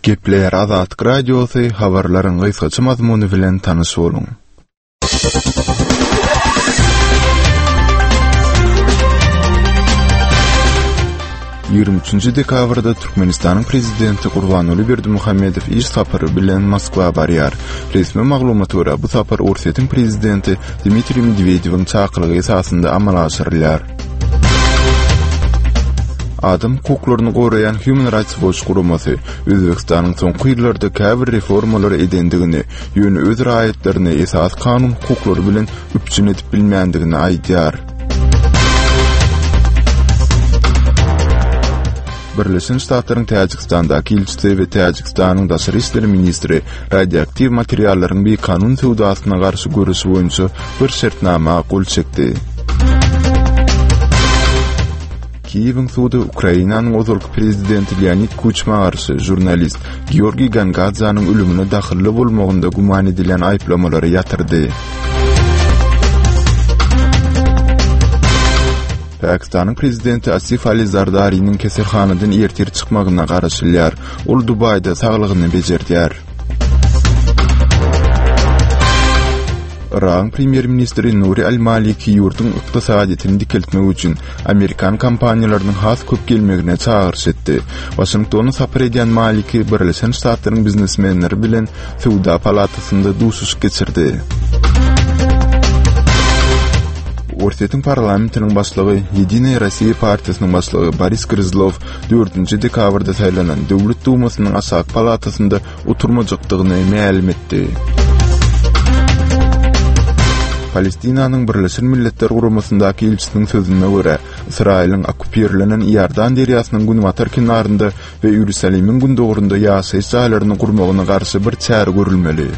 Gepleýär Azatlyk Radiosy, habarlaryň gysgaça mazmuny bilen tanyş boluň. 23 dekabrda Türkmenistanyň Prezidenti Gurbanguly Berdimuhamedow iş sapary bilen Moskwa barýar. Resmi maglumata görä, bu sapar Orsýetiň Prezidenti Dmitriý Medwedewiň çakylygy esasynda amala aşyrylýar. Adam hukuklaryny goraýan Human Rights Watch guramasy Özbegistanyň soňky ýyllarda käbir reformalary edendigini, ýöne öz raýatlaryny esasy kanun hukuklary bilen üpjün edip bilmändigini aýdýar. Birleşen Ştatlaryň Täjigistandaky ilçisi we Täjigistanyň daşary işler ministri radioaktiw materiallaryň bikanun söwdasyna garşy göreş boýunça bir şertnama gol çekdi. Kiýewiň sudy Ukrainanyň ozalky prezidenti Leonid Kuçma garşy žurnalist Georgiý Gangadzanyň ölümine dahylly bolmagynda güman edilýän aýyplamalary ýatyrdy. Pakistanyň prezidenti Asif Ali Zardariniň keselhanadan ertir çykmagyna garaşylýar. Ol Dubaýda saglygyny bejerdýär. Yragyň premýer-ministri Nuri al-Maliki ýurduň ykdysadyýetini dikeltmek üçin amerikan kompaniýalarynyň has köp gelmegine çagyryş etdi. Waşingtona sapar edýän Maliki Birleşen Ştatlaryň biznesmenleri bilen Söwda palatasynda duşuşyk geçirdi. Orsýetiň parlamentiniň başlygy, Ýedinaýa Rossiýa partiýasynyň başlygy Boris Gryzlow dördünji dekabrda saýlanan Döwlet Dumasynyň aşaky palatasynda oturmajakdygyny mälim etdi. Palestinanyň Birleşen Milletler Guramasyndaky ilçisiniň sözüne görä, Ysraýylyň okkupirlenen Iordan derýasynyň günbatar kenarynda we Iýerusalimiň gündogarynda ýaşaýyş jaýlaryny gurmagyna garşy bir çäre görülmeli.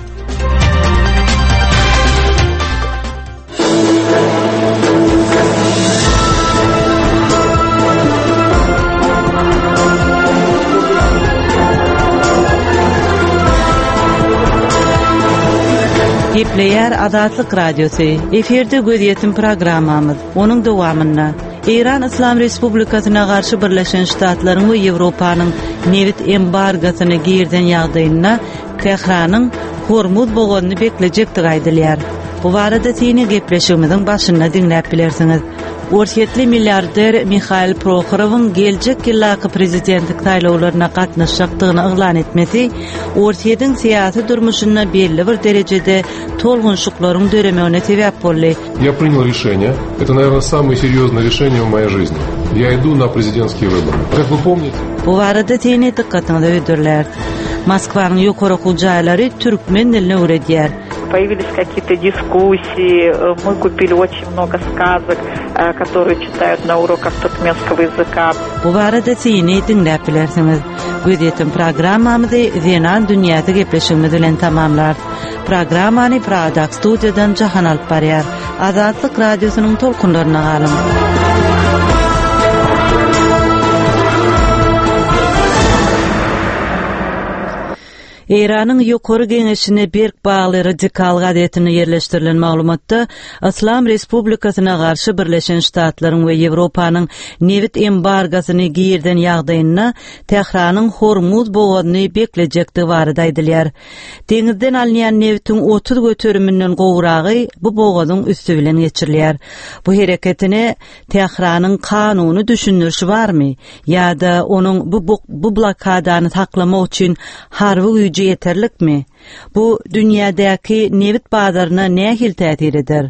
Gepleýär Azatlyk Radiosy. Efirde gözýetim programmamyz. Onuň dowamynda Eýran Yslam Respublikasyna garşy Birleşen Ştatlaryň we Ýewropanyň nebit embargosyny girizen ýagdaýynda Tähranyň Hormuz bogazyny beklejekdigi aýdylýar. Bu barada syny gepleşigimiziň başynda diňläp bilersiňiz. Orsýetli milliarder Mihail Prohorowyň geljek ýyldaky prezidentlik saýlawlaryna gatnaşjakdygyny yglan etmesi Orsýetiň syýasy durmuşynda belli bir derejede tolgunşyklaryň döremegine sebäp boldy. Я принял решение. Это, наверное, самое серьезное решение в моей жизни. Я иду на президентские выборы. Как вы помните... Bu barada syny dykgatyňyza hödürläris. Moskwanyň ýokary okuw jaýlary türkmen dilini öwredýär. Появились какие-то дискуссии, мы купили очень много сказок, э, которые читают на уроках туркменского языка. Bu barada syny diňläp bilersiňiz. Gözýetim programmamyzy Zenan dünýäsi gepleşigimiz bilen tamamlarys. Programmany Pragadaky studiýadan Jahan alyp barýar. Azatlyk Radiosynyň tolkunlarynda galyň. Eýranyň Ýokary Geňeşine berk bagly Radikal gazetinde ýerleşdirilen maglumatda Yslam Respublikasyna garşy Birleşen Ştatlaryň we Ýewropanyň nebit embargosyny girizen ýagdaýynda Tähranyň Hormuz bogazyny beklejekdigi barada aýdylýar. Deňizden alynýan nebitiň 30 göteriminden gowragy bu bogazyň üsti bilen geçirilýär. Bu hereketine Tähranyň kanuny düşündirişi barmy ýa-da onuň bu bu blokadany saklamak üçin harby güýji ýeterlikmi? Bu dünýädäki nebit bazaryna nähili täsir eder?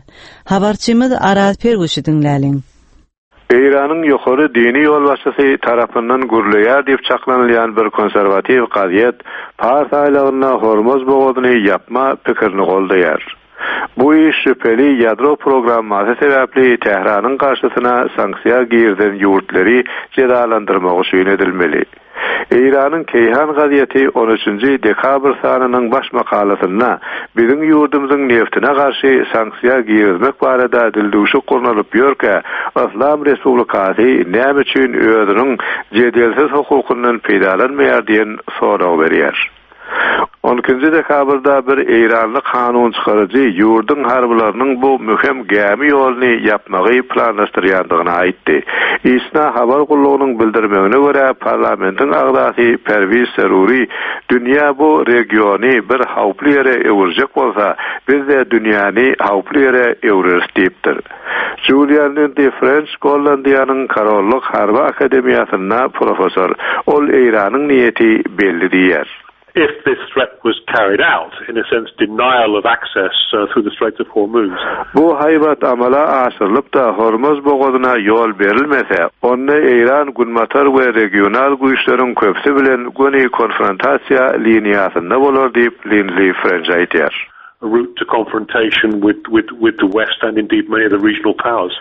Habarçymyz Araz Perwişi diňläliň. Eýranyň ýokary dini ýolbaşçysy tarapyndan gürleýär diýip çaklanylýan bir konserwatiw gazet Pars aýlagynda Hormuz bogazyny ýapma pikirini goldaýar. Bu iş şübheli ýadro programmasy sebäpli Tähranyň garşysyna sanksiýa girizen ýurtlary jezalandyrmak üçin edilmeli. Eýranyň Keýhan gazeti on üçünji dekabr sanynyň baş makalasynda biziň ýurdumyzyň neftine garşy sanksiýa girizmek barada dildüwşük gurnalyp ýörkä, Yslam Respublikasy näme üçin özüniň jedelsiz hukukyndan peýdalanmaýar diýen soragy berýär. On ikinji dekabrda bir eýranly kanun çykaryjy ýurduň harbylarynyň bu möhüm gämi ýoluny ýapmagy planlaşdyrýandygyny aýtdy. ISNA habar gullugynyň bildirmegine görä, parlamentiň agzasy Perwiz Seruri Dünýä bu regiony bir howply ýere öwürjek bolsa, biz-de dünýäni howply ýere öwreris diýipdir. Julian Lindi Frenç Gollandiýanyň Korollyk harby akademiýasynda professor. Ol Eýranyň niýeti belli diýýär. If this threat was carried out, in a sense denial of access through the Straits of Hormuz. Bu haýbat amala aşyrylyp-da Hormuz bogazyna ýol berilmese, onda Eýran günbatar we regional güýçleriň köpüsi bilen göni konfrontasiýa liniýasynda bolar diýip, Lindli Frenç aýdýar. a route to confrontation with with with the West and indeed many of the regional powers.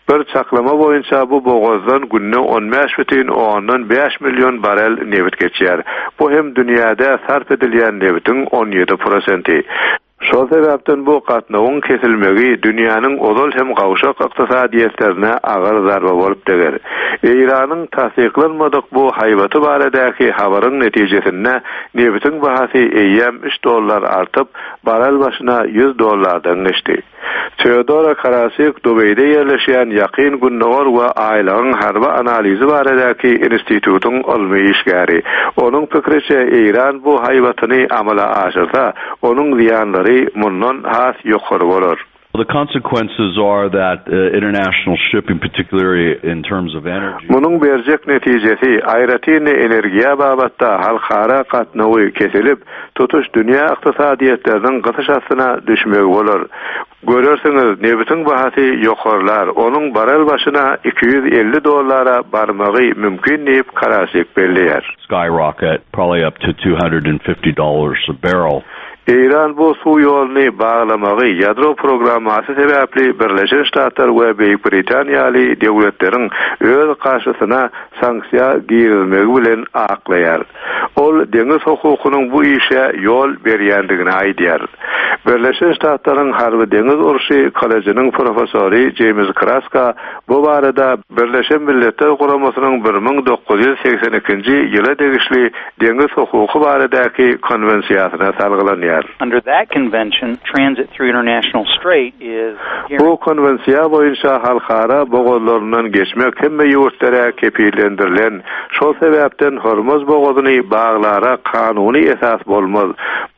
Bir çaklama boýunça bu bogazdan günde 15,5 million barel nebit geçýär. Bu hem dünýäde sarp edilýän nebitiň 17 prosenti. Şol sebäpden bu gatnawyň kesilmegi dünýäniň ozal hem gawşak ykdysadyýetlerine agyr zarba bolup deger. Eýranyň tassyklanmadyk bu haýbaty baradaky habaryň netijesinde Nebitiň bahasy eýýäm üç dollar artyp, barrel başyna 100 dollardan geçdi. Teodora Karasik Dubaýda ýerleşýän Ýakyn Gündogar we Aýlagyň harby analizi baradaky institutyň ylmy işgäri. Onuň pikriçe, Eýran bu haýbatyny amala aşyrsa, onuň zyýanlary mundan has ýokary bolar. The consequences are that international shipping, particularly in terms of energy. Munuň berjek netijesi, aýratyn-da energiýa babatda halkara gatnawy kesilip, tutuş dünýä ykdysadyýetleriniň gysyş astyna düşmegi bolar. Görersiňiz, nebitiň bahasy ýokarlar, onuň barrel başyna 250 dollara barmagy mümkin diýip, Karasik belleýär. Skyrocket, probably up to 250 dollars a barrel. Eýran bu suw ýoluny baglamagy ýadro programmasy sebäpli Birleşen Ştatlar we Beýik Britaniýa ýaly döwletleriň öz garşysyna sanksiýa girizmegi bilen aklaýar. Ol deňiz hukukynyň bu işe ýol berýändigini aýdýar. Birleşen Ştatlaryň Harby-deňiz urşy kollejiniň professory Jeýms Kraska bu barada Birleşen Milletler Guramasynyň 1982-nji ýyla degişli deňiz hukuky baradaky konwensiýasyna salgylanýar. Under that convention, transit through international strait is Bu konwensiýa boýunça halkara bogazlaryndan geçmek hemme ýurtlara kepillendirilen, şol sebäpden Hormuz bogazyny baglara kanuny esas bolmaz.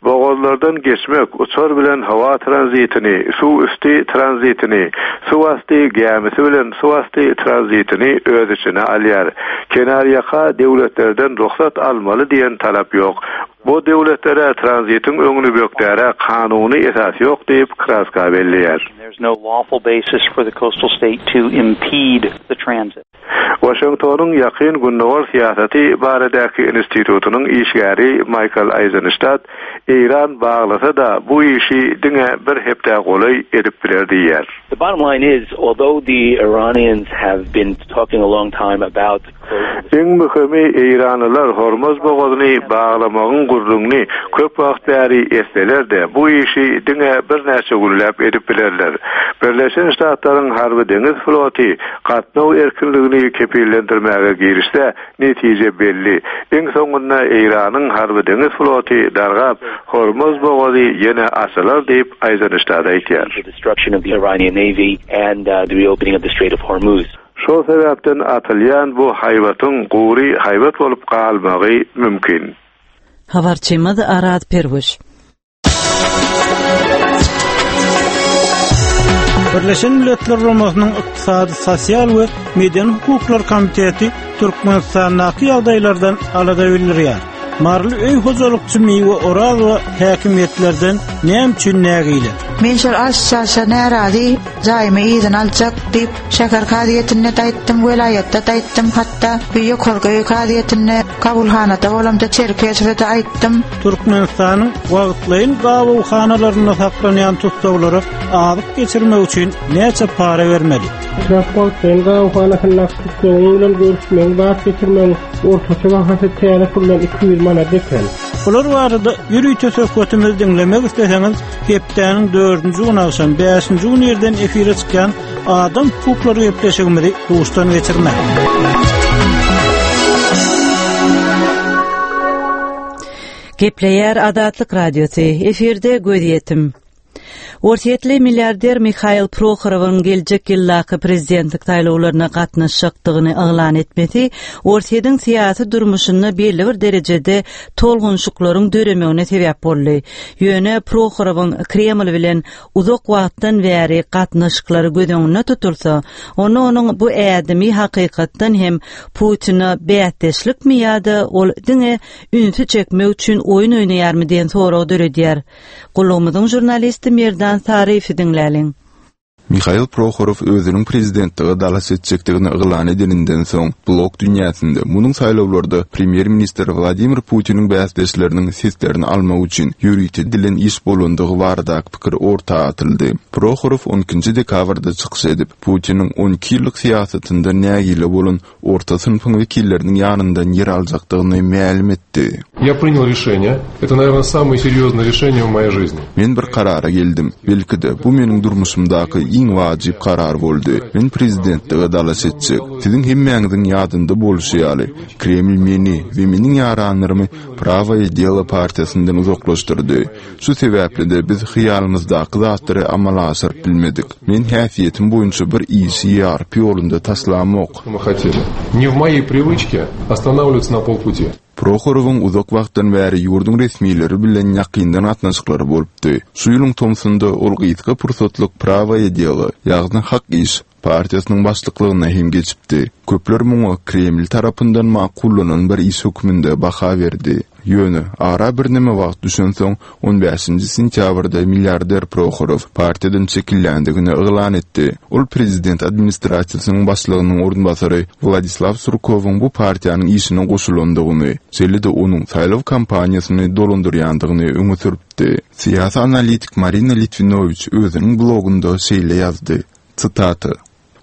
Bogazlardan geçmek uçar bilen howa tranzitini, suw üsti tranzitini, suw asty gämisi bilen suw asty tranzitini öz içine alýar. Kenarýaka döwletlerden rugsat almaly diýen talap ýok. Bu döwletlere tranzitiň öňüni bökdäre kanuny esas ýok diýip, Kraska belleýär. Waşingtonyň Ýakyn Gündogar syýasaty baradaky institutynyň işgäri Maýkl Aýzenştat Eýran baglasa-da, bu işi diňe bir hepdä golaý edip biler diýýär. The bottom line is, although the Iranians have been talking a long time about closing the Iň möhümi, eýranlylar Hormuz bogazyny baglamagyň gürrüňini köp wagt bäri etseler-de, bu işi diňe birnäçe günläp edip bilerler. Birleşen Ştatlaryň harby-deňiz floty gatnaw erkinligini kepillendirmäge girişse, netije belli. Iň soňunda Eýranyň harby-deňiz floty dargap, Hormuz bogazy ýene açylar diýip, Aýzenştat aýdýar. Şol sebäpden atylýan bu haýbatyň gury haýbat bolup galmagy mümkin. Habarçymyz Araz Perwiş. Birleşen Milletler Guramasynyň Ykdysady, Sosial we Medeni hukuklar komiteti Türkmenistandaky ýagdaýlardan alada bildirýär. Maryly öý hojalykçy Miwe Orazowa häkimiýetlerden näme üçin nägile? Men şol aş-çaşa närazy, jaýymy yzyna aljak diýip, şäher kazyýetinde-de aýtdym, welaýatda-da aýtdym, hatda bu ýokarky kazyýetinde, kabulhanada bolamda Çerkezowa-da aýtdym. Türkmenistanyň wagtlaýyn gabawhanalarynda saklanýan tussaglara azyk geçirmek üçin näçe para bermeli? Etrap wagtlaýyn gabawhanasyndaky tussagyň bilen görüşmegiň, zat geçirmegiň ortaça bahasy täze puldan 200 manat eken. Bular barada ýörite söhbetimizi diňlemek isleseňiz, hepdäniň dördünji güni agşam, bäşinji gün irden efire çykýan Adam hukuklary gepleşigimizi duşdan geçirmäň. Gepleýär Azatlyk Radiosy, efirde Gözýetim. Orsýetli milliarder Mihail Prohorowyň geljek ýyldaky prezidentlik saýlawlaryna gatnaşjakdygyny yglan etmesi Orsýetiň syýasy durmuşynda belli bir derejede tolgunyşyklaryň döremegine sebäp boldy. Ýöne Prohorowyň Kreml bilen uzak wagtdan bäri gatnaşyklary göz öňünde tutulsa, onda onuň bu ädimi hakykatdan hem Putine bäsdeşlikmi ýa-da ol diňe ünsi çekmek üçin oýun oýnaýarmy diýen soragy döredýär. Gullugymyzyň žurnalisti Merdan Saryýewi diňläliň. Mihail Prohorow özüniň prezidentlige dalaş etjekdigini yglan edeninden soň, blog dünýäsinde munuň saýlawlarda premýer-ministr Wladimir Putiniň bäsdeşleriniň seslerini almak üçin ýörite edilen iş bolandygy baradaky pikir orta atyldy. Prohorow on ikinji dekabrda çykyş edip, Putiniň on iki ýyllyk syýasatyndan nägile bolan orta synpyň wekilleriniň ýanyndan ýer aljakdygyny mälim etdi. Ýa prinyal rişeniýe, eto, nawerno, samoe serýoznoe rişeniýe w moýej žizni. Men bir karara geldim. Belki-de, bu meniň durmuşymdaky iň wajyp karar boldy. Men prezidentlige dalaş etjek. Siziň hemmäňiziň ýadynda bolşy ýaly, Kreml meni we meniň ýaranlarymy Prawoýe delo partiýasyndan uzaklaşdyrdy. Şu sebäpli-de biz hyýalymyzdaky zatlary amala aşyryp bilmedik. Men häsiýetim boýunça bir işi ýarpy ýolunda taşlamok. Ne w moýey priwyçke ostanawliwatsa na polputi. Prohorowyň uzak wagtdan bäri ýurduň resmileri bilen ýakyndan gatnaşyklary bolupdy. Şu ýylyň tomsunda ol gysga pursatlyk Prawoýe delo, ýagny Hak iş, partiýasynyň başlyklygyna hem geçipdi. Köpler muňa Kreml tarapyndan makullanan bir iş hökmünde baha berdi. Ýöne, ara birneme wagt düşensoň, on bäşinji sentýabrda milliarder Prohorow partiýadan çekilýändigini yglan etdi. Ol prezident administrasiýasynyň başlygynyň orunbasary Wladislaw Surkowyň bu partiýanyň işine goşulandygyny, şeýle-de onuň saýlaw kampaniýasyny dolandyrýandygyny öňe sürüpdi. Syýasy analitik Marina Litwinowiç özüniň blogunda şeýle ýazdy, Sitata,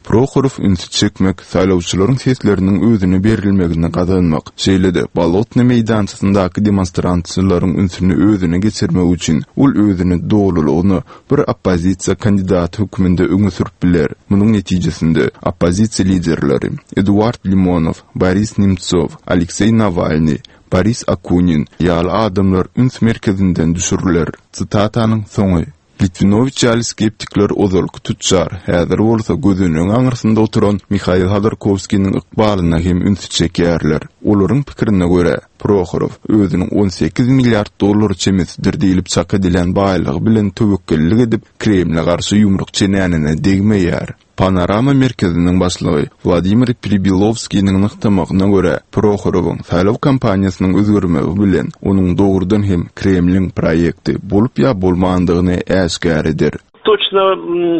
Prohorow ünsi çekmek, saýlawçylaryň sesleriniň özüne berilmegini gazanmak, şeýle-de Bolotnyý meýdançasyndaky demonstrantçylaryň ünsüni özüne geçirmek üçin ol özüni dolulygyna bir oppozisiýa kandidaty hökmünde öňe sürüp biler. Munuň netijesinde, oppozisiýa liderleri Eduard Limonow, Boris Nemtsow, Alekseý Nawalnyý, Boris Akunin ýaly adamlar üns merkezinden düşüriler. Sitatanyň soňy. Litwinowiç ýaly skeptikler ozalky tüçjar, häzir bolsa gözenegiň aňyrsynda oturan Mihail Hodorkowskiniň ykbalyna hem ünsi çekýärler. Olaryň pikirine görä, Prohorow özüniň 18 milliard dollar çemesidir diýlip çak edilýän baýlygy bilen töwekgellik edip, Kremle garşy ýumruk çenänine degmeýär. Panorama merkeziniň başlygy Wladimir Pribilowskiniň nygtamagyna görä, Prohorowyň saýlaw kampaniýasynyň özgermegi bilen onuň dogrudan hem Kremliň proýekti bolup ýa bolmandygyny äşgär eder. Toçno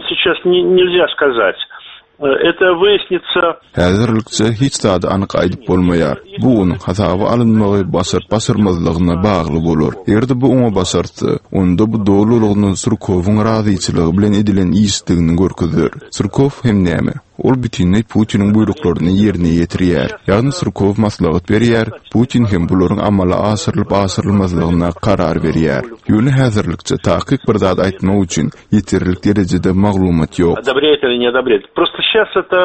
seças nelzýa skazat. Eto wyýasnitsa. Häzirlikçe hiç zady anyk aýdyp bolmaýar. Bu onuň hasaba alynmagy başaryp-başarmazlygyna bagly bolar. Eger-de bu oňa başartsa, onda bu dolulygyna Surkowyň razyçylygy bilen edilen işdigini görkezer. Surkow hem näme? Ol bütinleý Putiniň buýruklaryny ýerine ýetirýär. Ýagny Surkow maslahat berýär, Putin hem bularyň amala aşyrylyp-aşyrylmazlygyna karar berýär. Ýöne häzirlikçe takyk bir zat aýtmak üçin ýeterlik derejede maglumat ýok. Odobrýaet ili ne odobrýaet. Prosto şas eto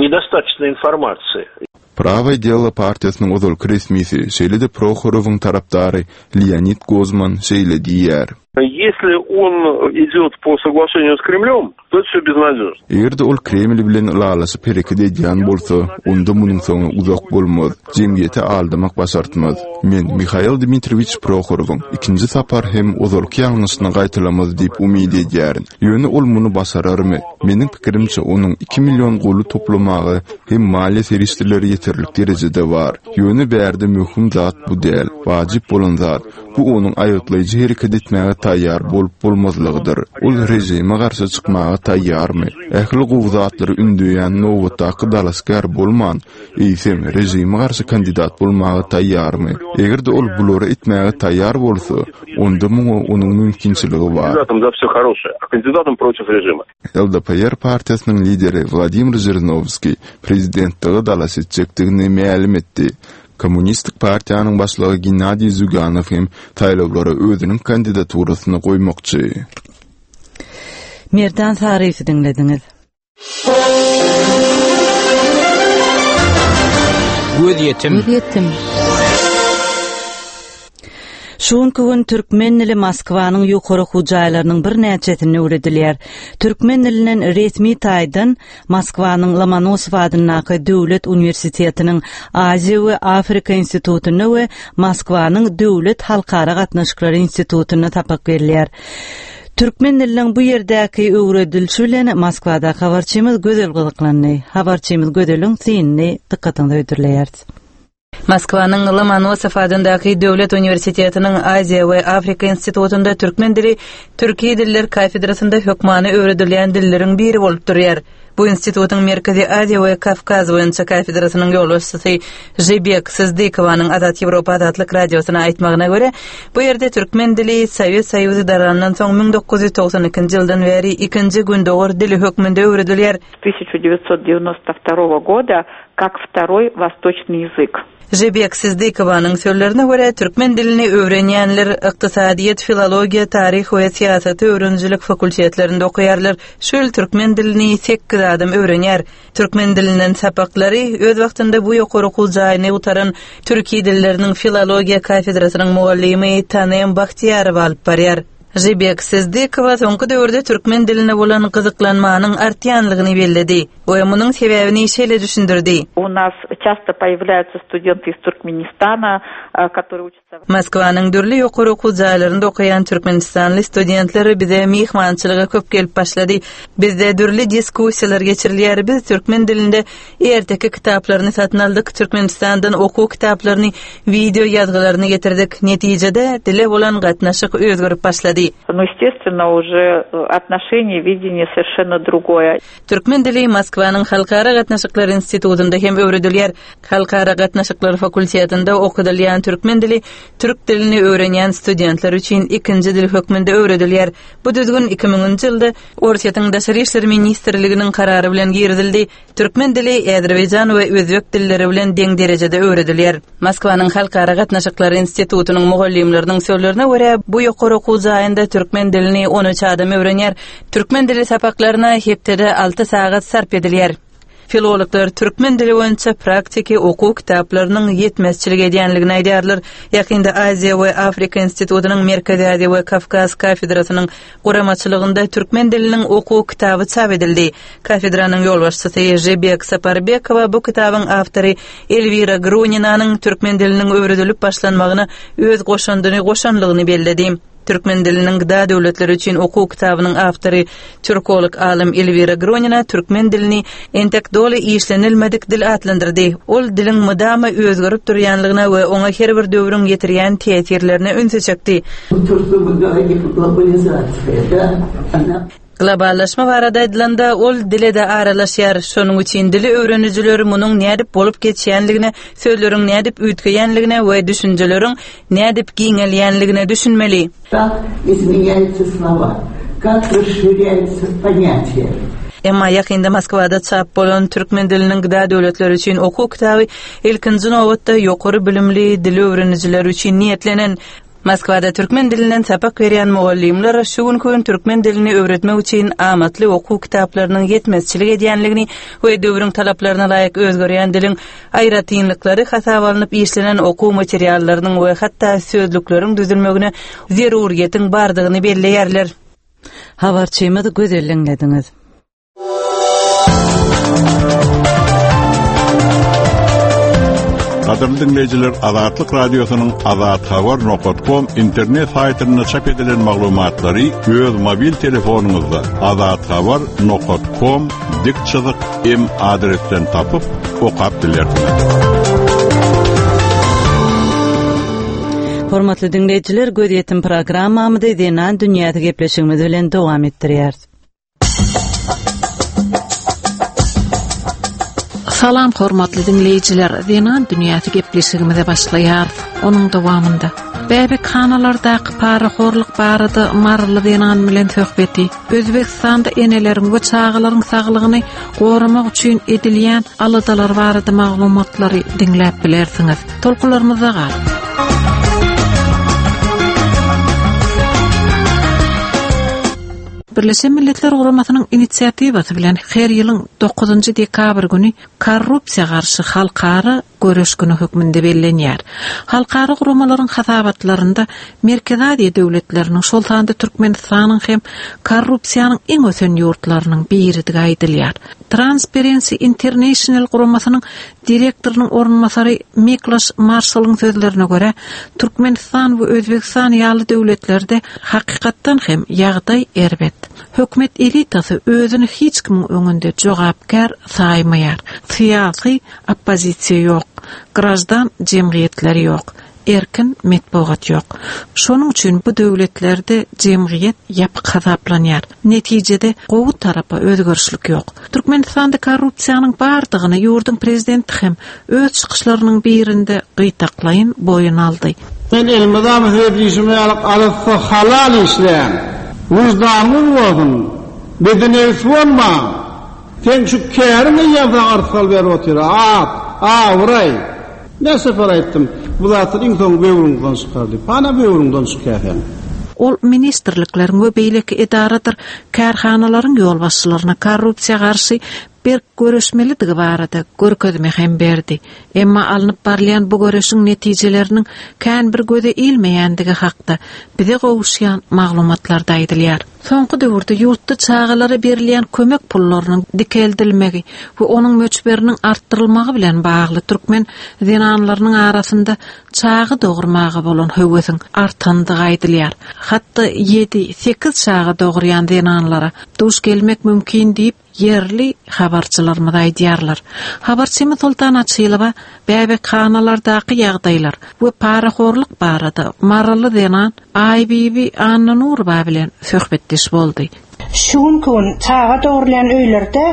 nedostatoçno informasiýi. Prawoe delo partiýasynyň ozalky resmisi, şeýle-de Prohorowyň tarapdary Leonid Gozman şeýle diýýär. Ýesli on idýot po soglaşeniýu s Kremlýom, to eto wsýo beznadýožno. Eger-de ol Kreml bilen ylalaşyp hereket edýän bolsa, onda munuň soňy uzak bolmaz. Jemgyýeti aldamak başartmaz. Men Mihail Dmitriýewiç Prohorowyň ikinji sapar hem ozalky ýalňyşyny gaýtalamaz diýip umyt edýärin. Ýöne ol muny başararmy? Meniň pikirimçe, onuň iki million goly toplamaga hem maliýe serişdeleri ýeterlik derejede bar. Ýöne bärde möhüm zat bu däl. Wajyp bolan zat, bu onuň aýgytlaýjy hereket etmäge taýýar bolup-bolmazlygydyr. Ol režime garşy çykmaga taýýarmy? Ähli gowy zatlary ündeýän nobatdaky dalaşgär bolman, eýsem, režime garşy kandidat bolmaga taýýarmy? Eger-de ol bulary etmäge taýýar bolsa, onda muňa onuň mümkinçiligi bar. LDPR partiýasynyň lideri Wladimir Žirinowskiý prezidentlige dalaş etjekdigini mälim etdi. Kommunistik partiýanyň başlygy Gennadiý Zýuganow hem saýlawlara özüniň kandidaturasyny goýmakçy. Merdan Saryýewi diňlediňiz. Gözýetim. Gözýetim. Şu günki gün türkmen dili Moskwanyň ýokary okuw jaýlarynyň birnäçesinde öwredilýär. Türkmen dilinden resmi taýdan Moskwanyň Lomonosow adyndaky döwlet uniwersitetiniň Aziýa we Afrika institutynda we Moskwanyň döwlet halkara gatnaşyklary institutynda sapak berilýär. Türkmen diliniň bu ýerdäki öwredilişi bilen Moskwadaky habarçymyz Gözel gyzyklandy. Habarçymyz Gözeliň synyny dykgatyňyza hödürleýäris. Moskwanyň Lomonosow adyndaky döwlet uniwersitetiniň Aziýa we Afrika institutynda türkmen dili türki diller kafedrasynda hökmany öwredilýän dilleriň biri bolup durýar. Bu institutyň Merkezi Aziýa we Kawkaz boýunça kafedrasynyň ýolbaşçysy Žibek Syzdykowanyň Azat Ýewropa Azatlyk Radiosyna aýtmagyna görä, bu ýerde türkmen dili Sowet Soýuzy darandan soň 1992-nji ýyldan bäri ikinji gündogar dili hökmünde öwredilýär. 1992 года как второй восточный язык. Žibek Syzdykowanyň sözlerine görä, türkmen dilini öwrenýänler ykdysadyýet, filologiýa, taryh we syýasaty öwrenijilik fakultetlerinde okaýarlar. Şu ýyl türkmen dilini sekiz adam öwrenýär. Türkmen dilinden sapaklary öz wagtynda bu ýokary okuw jaýyny gutaran türki dilleriniň filologiýa kafedrasynyň mugallymy Tanem Bahtiýarowa alyp barýar. Žibek Syzdykowa soňky döwürde türkmen diline bolan gyzyklanmanyň artýanlygyny belledi we munuň sebäbini şeýle düşündirdi. U nas çasto poýawlýaýutsa studenty iz Turkmenistana, которые učatsa. Moskwanyň dürli ýokary okuw jaýlarynda okaýan türkmenistanly studentler bize myhmançylyga köp gelip başlady. Bizde dürli diskussiýalar geçirilýär. Biz türkmen dilinde Erteki kitaplaryny satyn aldyk, Türkmenistandan okuw kitaplaryny, wideo ýazgylaryny getirdik. Netijede, dile bolan gatnaşyk özgerip başlady. Nu, естественно, уже отношение, видение совершенно другое. Türkmen dili Moskwanyň Halkara gatnaşyklary institutynda hem öwredilýär. Halkara gatnaşyklary fakultetinde okadylýan türkmen dili türk dilini öwrenýän studentler üçin ikinji dil hökmünde öwredilýär. Bu düzgün 2000-nji ýylda Orsýetiň Daşary işler ministrliginiň karary bilen girizildi. Türkmen dili azerbaýjan we özbek dilleri bilen deň derejede öwredilýär. Moskwanyň Halkara gatnaşyklary institutynyň mugallymlarynyň sözlerine görä, bu ýokary okuw jaýynda türkmen dilini 13 adam öwrenýär. Türkmen dili sapaklaryna hepdede alty sagat sarp edilýär. Filologlar türkmen dili boýunça praktiki okuw kitaplarynyň ýetmezçilik edýänligini aýdýarlar. Ýakynda Aziýa we Afrika institutynyň Merkezi Aziýa we Kawkaz kafedrasynyň guramaçylygynda türkmen diliniň okuw kitaby çap edildi. Kafedranyň ýolbaşçysy Žibek Saparbekowa bu kitabyň awtory Elwira Gruninanyň türkmen diliniň öwredilip başlanmagyna öz goşandyny goşanlygyny belledi. Türkmen diliniň gda döwletleri üçin okuw kitabynyň awtory, türkolog alym Elwira Gronina türkmen dilini entek doly işlenilmedik dil atlandyrdy. Ol diliň mydama özgerip durýanlygyna we oňa her bir döwrüň ýetirýän täsirlerine ünsi çekdi. Globallaşma barada aýdylanda, ol dile-de aralaşýar. Şonuň üçin dili öwrenijiler munuň nädip bolup geçýänligine, sözleriň nädip üýtgeýänligine we düşünjeleriň nädip giňelýänligine düşünmeli. Kak izmenýaýutsa slowa, kak rasşirýaýutsa ponýatiýa. Emma ýakynda Moskwada çap bolan Türkmen diliniň gda döwletleri üçin okuw kitaby ilkinji nobatda ýokary bilimli dil öwrenijiler üçin niýetlenen. Moskwada türkmen dilinden sapak berýän mugallymlar şu günki gün türkmen dilini öwretmek üçin amatly okuw kitaplarynyň ýetmezçilik edýänligini we döwrüň talaplaryna laýyk özgerýän diliň aýratynlyklary hasaba alnyp işlenen okuw materiallarynyň we hatda sözlükleriň düzülmegine zeruryýetiň bardygyny belleýärler. Habarçymyz Gözel diňlediňiz. Gadyrly diňleýjiler, Azatlyk Radiosynyň Azathabar nokat kom internet saýtynda çap edilen maglumatlary öz mobil telefonyňyzda azathabar nokat kom dik çyzyk m adresden tapyp, okap bilersiňiz. Hormatly diňleýjiler, Gözýetim programmamyzy Zenan dünýäsi gepleşigimiz bilen dowam etdirýäris. Salam hormatly diňleýjiler, Zenan dünýäsi gepleşigimize başlaýarys. Onuň dowamynda bäbekhanalardaky parahorluk barada maryly zenan bilen söhbeti, Özbegistanda eneleriň we çagalaryň saglygyny goramak üçin edilýän aladalar barada maglumatlary diňläp bilersiňiz. Tolkunlarymyzda galyň. Birleşen Milletler Guramasynyň inisiatiwasy bilen her ýylyň dokuzynjy dekabr güni korrupsiýa garşy halkara göreş güni hökmünde bellenýär. Halkara guramalaryň hasabatlarynda Merkezi Aziýa döwletleriniň, şol sanda Türkmenistanyň hem korrupsiýanyň iň ösen ýurtlarynyň biridigi aýdylýar. Transparency International guramasynyň direktorynyň orunbasary Mikloş Marşalyň sözlerine görä, Türkmenistan we Özbegistan ýaly döwletlerde hakykatdan hem ýagdaý erbet. Hökümet elitasy özüni hiç kimiň öňünde jogapkär saýmaýar. Syýasy oppozisiýa ýok, graždan jemgyýetleri ýok. Erkin metbugat ýok. Şonuň üçin bu döwletlerde jemgyýet ýapyk hasaplanýar. Netijede gowy tarapa özgerişlik ýok. Türkmenistanda korrupsiýanyň bardygyny ýurduň prezidenti hem öz çykyşlarynyň birinde gytaklaýyn boýun aldy. Men elmydama size diýşim ýaly arassa halal işläň. Wyždanyňyz bolsun. Bedinebis bolmaň. Seň şu käriň eýýäm saňa yrsgal berip otyr. At, abraý. Näçe sapar aýtdym, bu zatlar iň soňy böwrüňden çykar diýip. Hana böwrüňden çykýar seň. Ol ministrlikleriň we beýleki edaradyr kärhanalaryň ýolbaşçylaryna korrupsiýa garşy berk göreşmelidigi barada görkezme hem berdi. Emma alnyp barylýan bu göreşiň netijeleriniň kän bir göze ilmeýändigi hakda bize gowuşýan maglumatlarda aýdylýar. Soňky döwürde ýurtda çagalara berilýän kömek pullarynyň dikeldilmegi we onuň möçberiniň artdyrylmagy bilen bagly türkmen zenanlarynyň arasynda çaga dogurmaga bolan höwesiň artandygy aýdylýar. Hatda ýedi, sekiz çaga dogurýan zenanlara duş gelmek mümkin diýip, ýerli habarçylarymyz aýdýarlar. Habarçymyz Soltan Açylowa bäbekhanalardaky ýagdaýlar we parahorluk barada maryly zenan Aýbibi Annanurowa bilen söhbetdeş boldy. Şu günki gün çaga dogrulýan öýlerde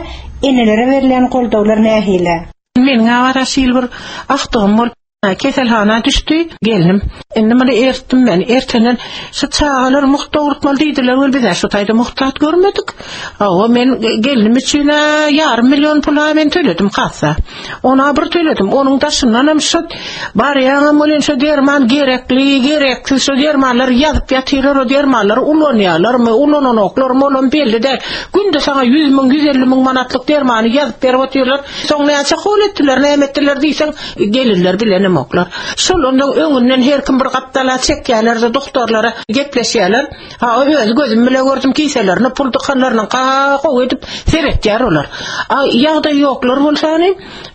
enelere berilýän goldawlar nähili? Meniň awara şil bir agtygym bolup Keselhana düşdi gelnim. Indi muny ertdim men. Ertenden şu çagalar mugt dogrutmaly diýdiler wel biz-ä şu taýda mugt zat görmedik. Hawa men gelnim üçin-ä ýarym million pul-a men töledim kassa. Ona bir töledim. Onuň daşyndanam şu barýaňam welin şu derman gerekli, gereksiz şu dermanlary ýazyp ýatyrlar, o dermanlary ulanýarlarmy, ulananoklarmy olam belli däl. Günde saňa 100 müň, 150 müň manatlyk dermany ýazyp berip otyrlar. Soň näçe hol etdiler, näme etdiler diýseň, Gelinler bilenemoklar. Şol ondan öňünden her kim bir gapdala çekýärler-de doktorlara gepleşýärler. Ha, öz gözüm bile gördüm kiselerine pul dykanlarynyň gowy edip seretýär olar. A ýagdaý ýoklar bolsa hany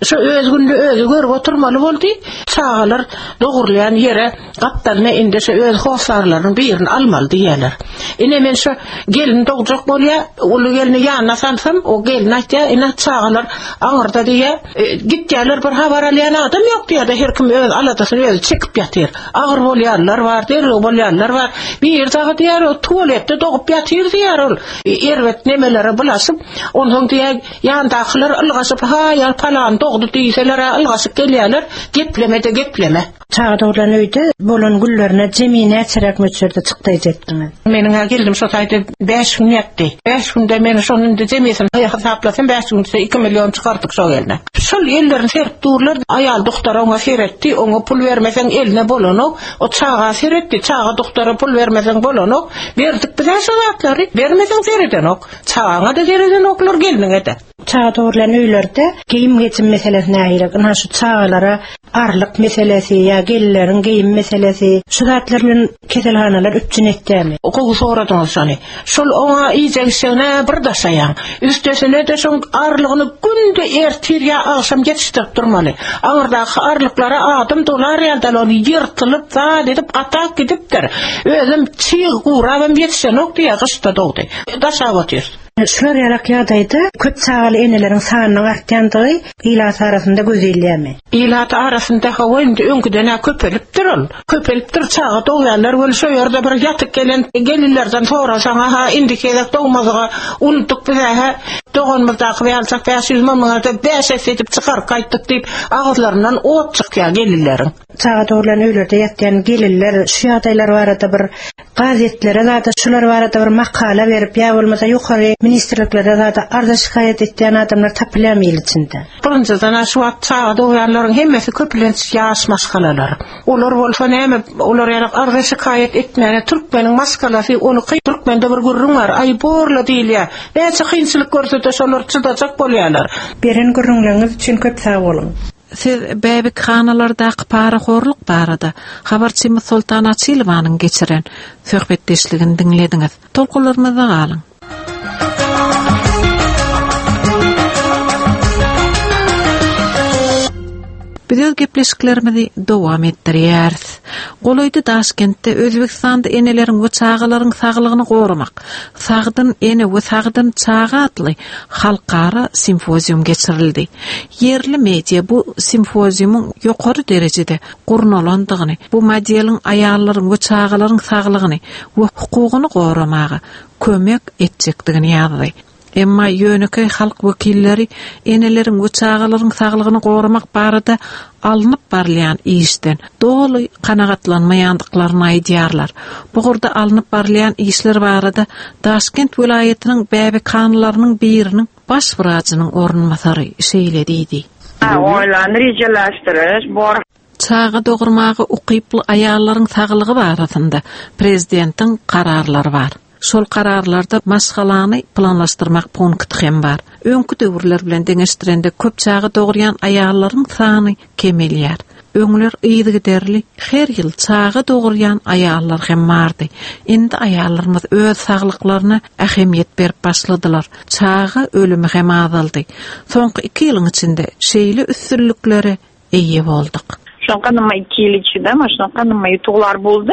şo öz günde özi görüp oturmaly boldy. Çagalar dogurylýan ýere gapdalyna indi şo öz hossarlarynyň birini almaly diýýärler. Ine men şo gelin dogjak bolýar, uly gelni ýanyna salsam, o gelin aýtýar, ine çagalar aňyrda diýýär. E, gitýärler bir habar alýan adam ýok diýýär-de, her kim öz aladasyny özi çekip ýatyr. Agyr bolýanlar bar, derrew bolýanlar bar. Bir dagy diýýär, o tualetde dogup ýatyr diýýär ol. E, erbet nemelere bulaşyp, onsoň diýýär, ýandakylar ylgaşyp, ha, palan dogdy diýseler, ylgaşyp gelýärler, gepleme-de gepleme. Çaga dogrulan öýde bolan güllerine jemi näçeräk möçberde çykdaýjy etdiňiz? Meniň-ä gelnim şo taýda bäş gün ýatdy. Bäş günde men şony indi jemisini hasaplasam bäş gün içinde iki million çykardyk şo gelne. Şol ellerini serip durlar. Aýal dogtor oňa seretdi, oňa pul bermeseň eline bolanok. O çaga seretdi, çaga dogtora pul bermeseň bolanok. Berdik biz-ä şo zatlary. Bermeseň seredenok. Çagaňa-da seredenoklar, gelniňe-de. Çaga dogrulan öýlerde geýim-gejim meselesi nähili? Ynha şu çagalara arlyk meselesi ýa gelinleriň geýim meselesi, şu zatlar bilen keselhanalar üpjün etýärmi? Gowy soradyňyz şony. Şol oňa iýjek-içjegine bir daşaýaň. Üstesine-de şoň arlygyny günde ertir ýa agşam ýetişdirip durmaly. Aňyrdaky arlyklara adam dolar ýaly däl, ol ýyrtylyp, zat edip gatap gidipdir. Özem çyg gurabam ýetişenok diýýär, gyşda dogdy. Daşap otyr. Şular ýalak ýagdaýda köp çagaly eneleriň sanynyň artýandygy ilat arasynda göz ilýärmi? Ilat arasynda hawa indi öňküden-ä köpelipdir ol. Köpelipdir çaga dogýanlar weli şo ýerde bir ýatyk gelen gelinlerden sorasaň-a indiki gezek dogmadyga unutdyk biz-ä doganymyzdaky ýaljak 500 müňüňe-de bäş esse edip çykaryp gaýtdyk diýip agyzlaryndan ot çykýar gelinleriň. Çaga dogrulan öýlerde ýatýan gelinler şu ýagdaýlar barada bir gazetlere zada şular barada bir makala berip ýa bolmasa ýokary ministrliklere zada arza şikaýat etýän adamlar tapylýarmy il içinde? Birinjiden şu wagt çaga dogýanlaryň hemmesi köplenç ýaş maşgalalar. Olar bolsa näme olar ýaly arza şikaýat etmäne türkmeniň maşgalasy ony kyn türkmende bir gürrüň bar aý borla diýilýär. Näçe kynçylyk görsede şolar çydajak bolýarlar. Beren gürrüňleriňiz üçin köp sag boluň. Siz bäbekhanalardaky parahorluk barada habarçymyz Soltan Açylowanyň geçiren söhbetdeşligini diňlediňiz. Tolkunlarymyzda galyň. Biz öz gepleşiklerimizi dowam etdirýäris. Golaýda Daşkentde Özbegistanda eneleriň we çagalaryň saglygyny goramak, Sagdyn ene we sagdyn çaga atly halkara simpozium geçirildi. Ýerli media bu simpoziumyň ýokary derejede gurnalandygyny, bu modeliň aýallaryň we çagalaryň saglygyny we hukugyny goramaga kömek etjekdigini ýazdy. Emma ýönekeý halk wekilleri eneleriň we çagalaryň saglygyny goramak barada alnyp barylýan işden doly kanagatlanmaýandyklaryny aýdýarlar. Bu ugurda alnyp barylýan işler barada Daşkent welaýatynyň bäbekhanalarynyň biriniň baş wrajynyň orunbasary şeýle diýdi. Oýlan rejelaşdyryş bor. Çaga dogurmaga ukyply aýallaryň saglygy barasynda prezidentiň kararlary bar. Şol kararlarda maşgalany planlaşdyrmak punkty hem bar. Öňki döwürler bilen deňeşdirende köp çaga dogurýan aýallaryň sany kemelýär. Öňler yzygiderli her ýyl çaga dogurýan aýallar hem bardy. Indi aýallarymyz öz saglyklaryna ähemiýet berip başladylar. Çaga ölümi hem azaldy. Soňky iki ýylyň içinde şeýle üstünliklere eýe bolduk. Şoňka nima iki ýyl içinde mana şoňka nima ýutuglar boldy.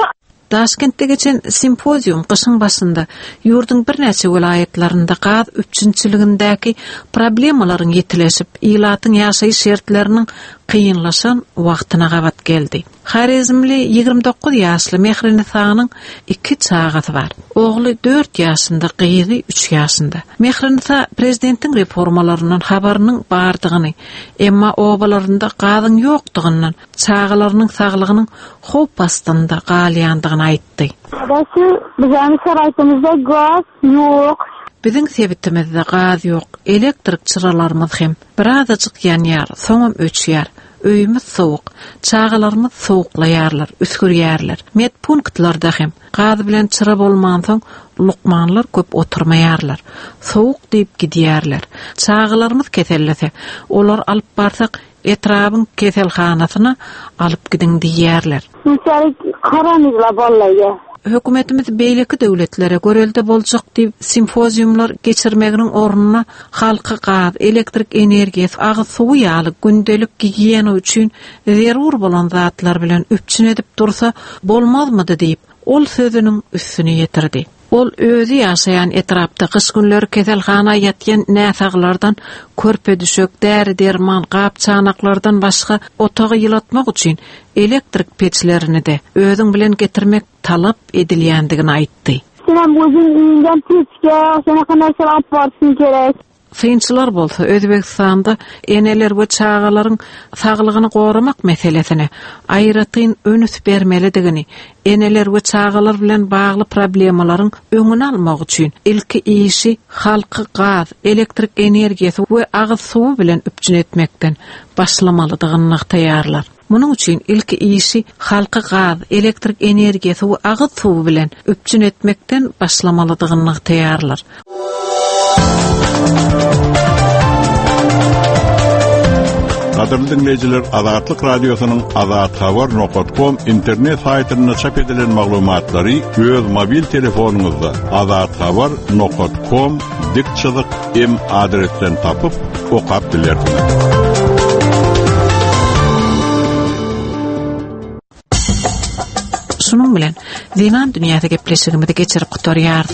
Daşkentde geçen simpozium gyşyň başynda ýurduň birnäçe welaýatlarynda gaz üpjünçiligindäki problemalaryň ýitileşip, ilatyň ýaşaýyş şertleriniň kynlaşan wagtyna gabat geldi. Horezmli 29 ýaşly Mehrinisanyň iki çagasy bar. Ogly dört ýaşynda, gyzy üç ýaşynda. Mehrinisa prezidentiň reformalaryndan habarynyň bardygyny, emma obalarynda gazyň ýokdugyndan çagalarynyň saglygynyň howp astynda galýandygyny aýtdy. Adasy, biziň şaraýtymyzda gaz ýok. Biziň sebitimizde gaz ýok, elektrik çyralarymyz hem birazajyk ýanýar, soňam öçýär. Öýümiz sowuk, çagalarymyz sowuklaýarlar, üsgürýärler. Medpunktlarda hem gaz bilen çyra bolmansoň, lukmanlar köp oturmaýarlar. Sowuk diýip gidýärler. Çagalarymyz kesellese, olary alyp barsak, Etrabyň keselhanasyna alyp gidiň diýýärler. Içerik karanygla bollaýa. Hökümetimiz beýleki döwletlere görelde boljak diýip simpoziumlar geçirmeginiň ornuna halky gaz, elektrik energiýasy, agyz suwy ýaly gündelik gigiýena üçin zerur bolan zatlar bilen üpjün edip dursa bolmazmydy diýip, ol sözüniň üstüni ýetirdi. Ol özi ýaşaýan etrapda gyş günleri keselhana ýatýan näsaglardan körpe-düşek, däri-derman, gap-çanaklardan başga otagy ýylatmak üçin elektrik peçlerini-de özüň bilen getirmek talap edilýändigini aýtdy. Senem özüň öýüňden peçge, şonaka narseler alyp barşyň gerek. Synçylar bolsa Özbegistanda eneler we çagalaryň saglygyny goramak meselesine aýratyn ünüs bermelidigini, eneler we çagalar bilen bagly problemalaryň öňüni almak üçin ilki işi halky gaz, elektrik energiýasy we agyz suwy bilen üpjün etmekden başlamalydygyny nygtaýarlar. Munuň üçin ilki işi halky gaz, elektrik energiýasy we agyz suwy bilen üpjün etmekden başlamalydygyny nygtaýarlar. Gadyrly diňleýjiler, Azatlyk Radiosynyň Azat Habar nokat kom internet saýtynda çap edilen maglumatlary öz mobil telefonyňyzda Azat Habar nokat kom dik çyzyk m adresden tapyp okap bilersiňiz. Şunuň bilen Zenan dünýäsi gepleşigimizi geçirip gutarýarys.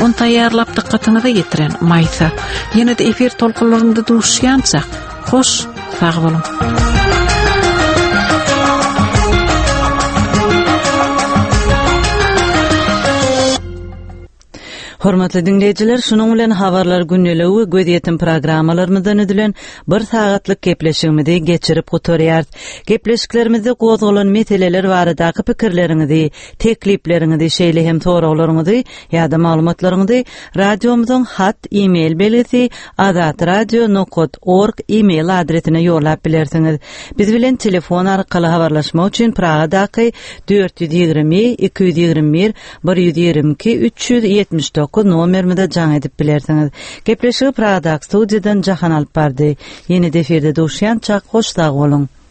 Ony taýýarlap dykgatyňyza ýetiren Maýsa. Ýene-de efir tolkunlarynda duşýança, hoş, sag boluň. Hormatly diňleýjiler, şunuň bilen Habarlar gündeligi we Gözýetim programmalarymyzdan düzülen bir sagatlyk gepleşigimizi geçirip gutarýarys. Gepleşiklerimizde gozgalan meseleler baradaky pikirleriňizi, teklipleriňizi, şeýle hem soraglaryňyzy ýa-da maglumatlaryňyzy radiomyzyň hat, e-mail belgisi azatradio nokat org e-mail adresine ýollap bilersiňiz. Biz bilen telefon arkaly habarlaşmak üçin Pragadaky 420 221 122 379 nomerimize jaň edip bilersiňiz. Gepleşigi Pragadaky studiýadan Jahan alyp bardy. Ýene-de efirde duşýançak hoş sag boluň.